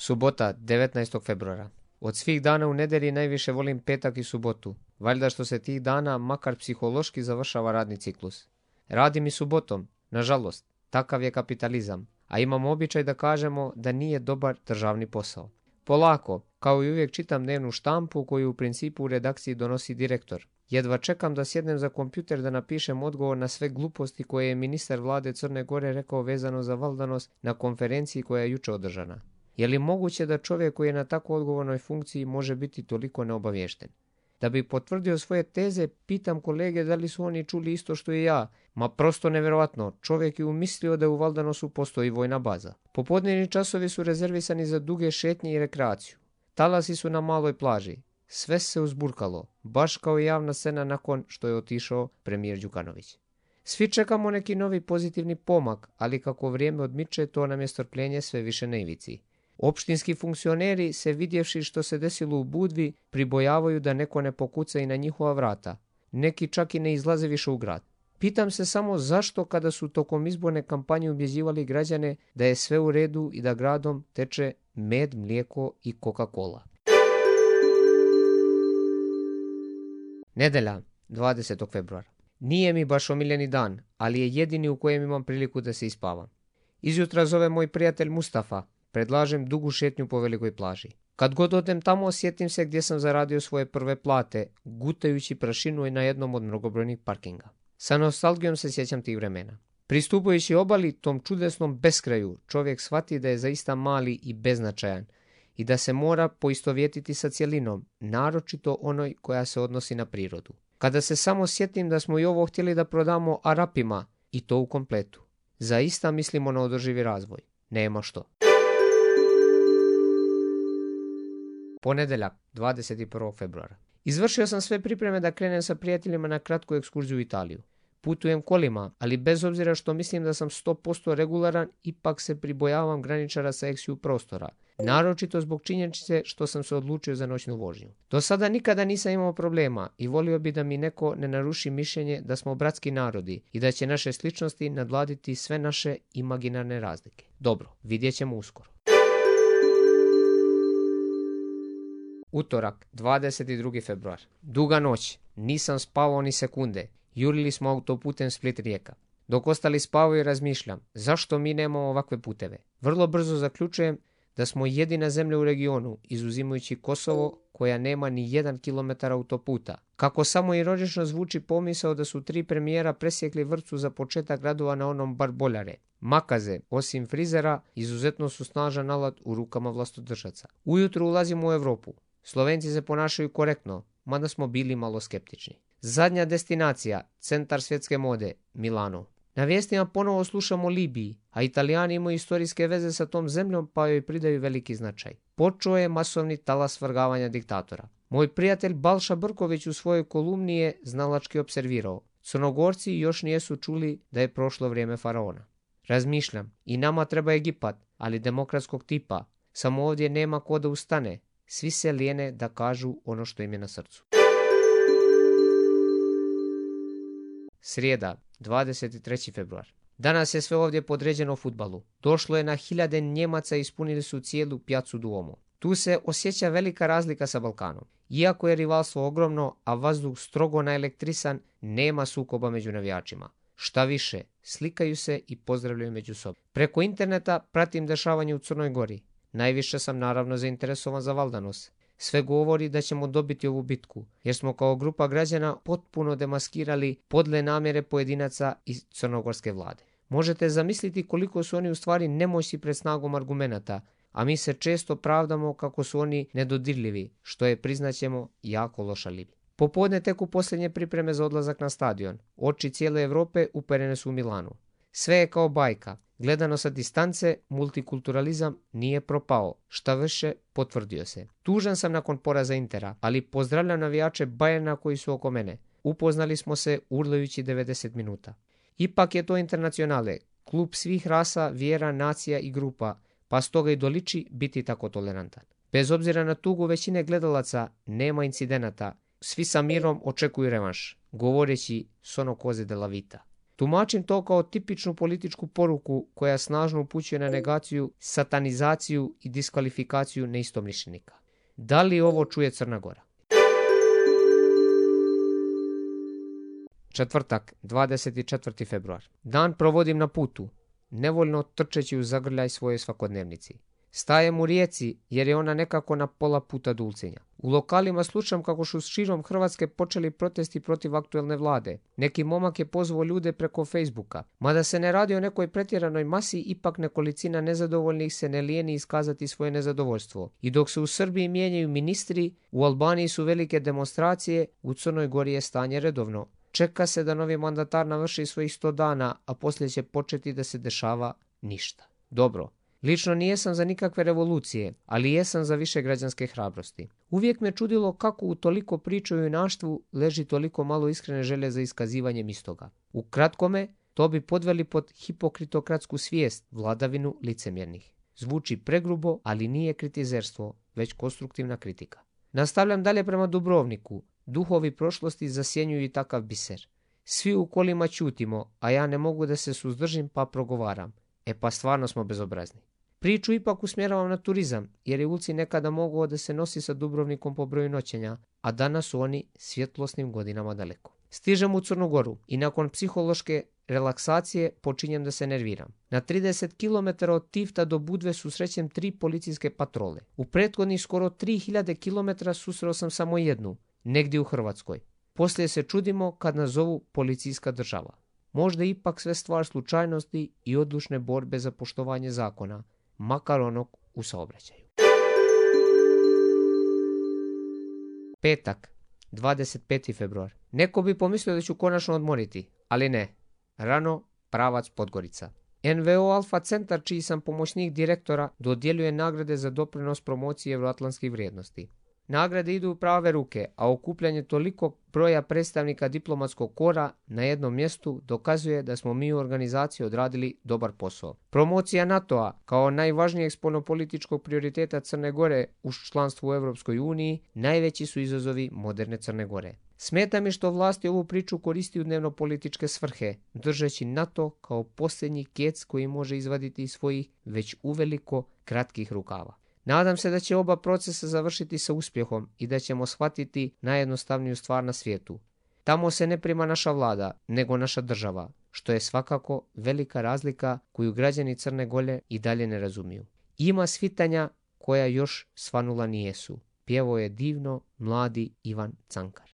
Subota, 19. februara. Od svih dana u nedelji najviše volim petak i subotu. Valjda što se tih dana makar psihološki završava radni ciklus. Radim i subotom, nažalost, takav je kapitalizam, a imamo običaj da kažemo da nije dobar državni posao. Polako, kao i uvijek čitam dnevnu štampu koju u principu u redakciji donosi direktor. Jedva čekam da sjednem za kompjuter da napišem odgovor na sve gluposti koje je ministar vlade Crne Gore rekao vezano za valdanost na konferenciji koja je jučer održana. Je li moguće da čovjek koji je na tako odgovornoj funkciji može biti toliko neobaviješten? Da bi potvrdio svoje teze, pitam kolege da li su oni čuli isto što i ja. Ma prosto nevjerojatno, čovjek je umislio da u Valdanosu postoji vojna baza. Popodnevni časovi su rezervisani za duge šetnje i rekreaciju. Talasi su na maloj plaži. Sve se uzburkalo, baš kao i javna scena nakon što je otišao premijer Đukanović. Svi čekamo neki novi pozitivni pomak, ali kako vrijeme odmiče, to nam je strpljenje sve više na ivici. Opštinski funkcioneri, se vidjevši što se desilo u Budvi, pribojavaju da neko ne pokuca i na njihova vrata. Neki čak i ne izlaze više u grad. Pitam se samo zašto kada su tokom izborne kampanje ubjeđivali građane da je sve u redu i da gradom teče med, mlijeko i Coca-Cola. Nedelja, 20. februara. Nije mi baš omiljeni dan, ali je jedini u kojem imam priliku da se ispavam. Izjutra zove moj prijatelj Mustafa. Predlažem dugu šetnju po velikoj plaži. Kad god odem tamo, sjetim se gdje sam zaradio svoje prve plate, gutajući prašinu na jednom od mnogobrojnih parkinga. Sa nostalgijom se sjećam tih vremena. Pristupujući obali, tom čudesnom beskraju, čovjek shvati da je zaista mali i beznačajan i da se mora poistovjetiti sa cjelinom, naročito onoj koja se odnosi na prirodu. Kada se samo sjetim da smo i ovo htjeli da prodamo Arapima, i to u kompletu. Zaista mislimo na održivi razvoj. Nema što. Ponedjeljak, 21. februara. Izvršio sam sve pripreme da krenem sa prijateljima na kratku ekskurziju u Italiju. Putujem kolima, ali bez obzira što mislim da sam 100% regularan, ipak se pribojavam graničara sa eksiju prostora. Naročito zbog činjenice što sam se odlučio za noćnu vožnju. Do sada nikada nisam imao problema i volio bi da mi neko ne naruši mišljenje da smo bratski narodi i da će naše sličnosti nadvladati sve naše imaginarne razlike. Dobro, vidjet ćemo uskoro. Utorak, 22. februar. Duga noć. Nisam spavao ni sekunde. Jurili smo autoputem Split-Rijeka. Dok ostali spavaju, razmišljam, zašto mi nemamo ovakve puteve? Vrlo brzo zaključujem da smo jedina zemlja u regionu, izuzimajući Kosovo, koja nema ni 1 kilometar autoputa. Kako samo ironično zvuči pomisao da su 3 premijera presjekli vrpcu za početak radova na onom bar boljare. Makaze, osim frizera, izuzetno su snažan alat u rukama vlastodržaca. Ujutro ulazimo u Europu. Slovenci se ponašaju korektno, mada smo bili malo skeptični. Zadnja destinacija, centar svjetske mode, Milano. Na vijestima ponovo slušamo o Libiji, a Italijani imaju istorijske veze sa tom zemljom pa joj pridaju veliki značaj. Počeo je masovni talas svrgavanja diktatora. Moj prijatelj Balša Brković u svojoj kolumni je znalački observirao. Crnogorci još nijesu čuli da je prošlo vrijeme faraona. Razmišljam, i nama treba Egipat, ali demokratskog tipa. Samo ovdje nema ko da ustane. Svi se lijene da kažu ono što im je na srcu. Srijeda, 23. februar. Danas je sve ovdje podređeno fudbalu. Došlo je na hiljade Njemaca i ispunili su cijelu Piazzu Duomo. Tu se osjeća velika razlika sa Balkanom. Iako je rivalstvo ogromno, a vazduh strogo naelektrisan, nema sukoba među navijačima. Šta više, slikaju se i pozdravljaju među sobom. Preko interneta pratim dešavanje u Crnoj Gori. Najviše sam naravno zainteresovan za Valdanos. Sve govori da ćemo dobiti ovu bitku, jer smo kao grupa građana potpuno demaskirali podle namjere pojedinaca iz crnogorske vlade. Možete zamisliti koliko su oni u stvari nemoćni pred snagom argumenata, a mi se često pravdamo kako su oni nedodirljivi, što je, priznaćemo, jako loš alibi. Popodne teku posljednje pripreme za odlazak na stadion. Oči cijele Europe uperene su u Milanu. Sve je kao bajka. Gledano sa distance, multikulturalizam nije propao, šta više potvrdio se. Tužan sam nakon poraza Intera, ali pozdravljam navijače Bayerna koji su oko mene. Upoznali smo se urlajući 90 minuta. Ipak je to Internacionale, klub svih rasa, vjera, nacija i grupa, pa stoga i doliči biti tako tolerantan. Bez obzira na tugu većine gledalaca, nema incidenata, svi sa mirom očekuju revanš, govoreći sono cose della vita. Tumačim to kao tipičnu političku poruku koja snažno upućuje na negaciju, satanizaciju i diskvalifikaciju neistomišljenika. Da li ovo čuje Crna Gora? Četvrtak, 24. februar. Dan provodim na putu, nevoljno trčeći u zagrljaj svoje svakodnevnici. Stajem u Rijeci jer je ona nekako na pola puta do Ulcinja. U lokalima slušam kako su širom Hrvatske počeli protesti protiv aktuelne vlade. Neki momak je pozvao ljude preko Facebooka. Mada se ne radi o nekoj pretjeranoj masi, ipak nekolicina nezadovoljnih se ne lijeni iskazati svoje nezadovoljstvo. I dok se u Srbiji mijenjaju ministri, u Albaniji su velike demonstracije, u Crnoj Gori je stanje redovno. Čeka se da novi mandatar navrši svojih 100 dana, a poslije će početi da se dešava ništa. Dobro. Lično nijesam za nikakve revolucije, ali jesam za više građanske hrabrosti. Uvijek me čudilo kako u toliko priče o junaštvu leži toliko malo iskrene želje za iskazivanjem istoga. U kratkome, to bi podveli pod hipokritokratsku svijest, vladavinu licemjernih. Zvuči pregrubo, ali nije kritizerstvo, već konstruktivna kritika. Nastavljam dalje prema Dubrovniku. Duhovi prošlosti zasjenjuju i takav biser. Svi u kolima ćutimo, a ja ne mogu da se suzdržim pa progovaram. E pa stvarno smo bezobrazni. Priču ipak usmjeravam na turizam, jer je Ulcinj nekada mogao da se nosi sa Dubrovnikom po broju noćenja, a danas su oni svjetlosnim godinama daleko. Stižem u Crnu Goru i nakon psihološke relaksacije počinjem da se nerviram. Na 30 km od Tifta do Budve susrećem 3 policijske patrole. U prethodnih skoro 3000 km susreo sam samo jednu, negdje u Hrvatskoj. Poslije se čudimo kad nas zovu policijska država. Možda ipak sve stvar slučajnosti i odlučne borbe za poštovanje zakona, makar onog u saobraćaju. Petak, 25. februar. Neko bi pomislio da ću konačno odmoriti, ali ne. Rano, pravac Podgorica. NVO Alfa Centar, čiji sam pomoćnik direktora, dodjeljuje nagrade za doprinos promociji euroatlantskih vrijednosti. Nagrade idu u prave ruke, a okupljanje toliko broja predstavnika diplomatskog kora na jednom mjestu dokazuje da smo mi u organizaciji odradili dobar posao. Promocija NATO-a kao najvažnijeg spoljnopolitičkog prioriteta Crne Gore uz članstvo u Europskoj uniji najveći su izazovi moderne Crne Gore. Smeta mi što vlasti ovu priču koristi u dnevno-političke svrhe, držeći NATO kao posljednji kec koji može izvaditi iz svojih već uveliko kratkih rukava. Nadam se da će oba procesa završiti sa uspjehom i da ćemo shvatiti najjednostavniju stvar na svijetu. Tamo se ne prima naša vlada, nego naša država, što je svakako velika razlika koju građani Crne Gore i dalje ne razumiju. Ima svitanja koja još svanula nijesu. Pjevao je divno mladi Ivan Cankar.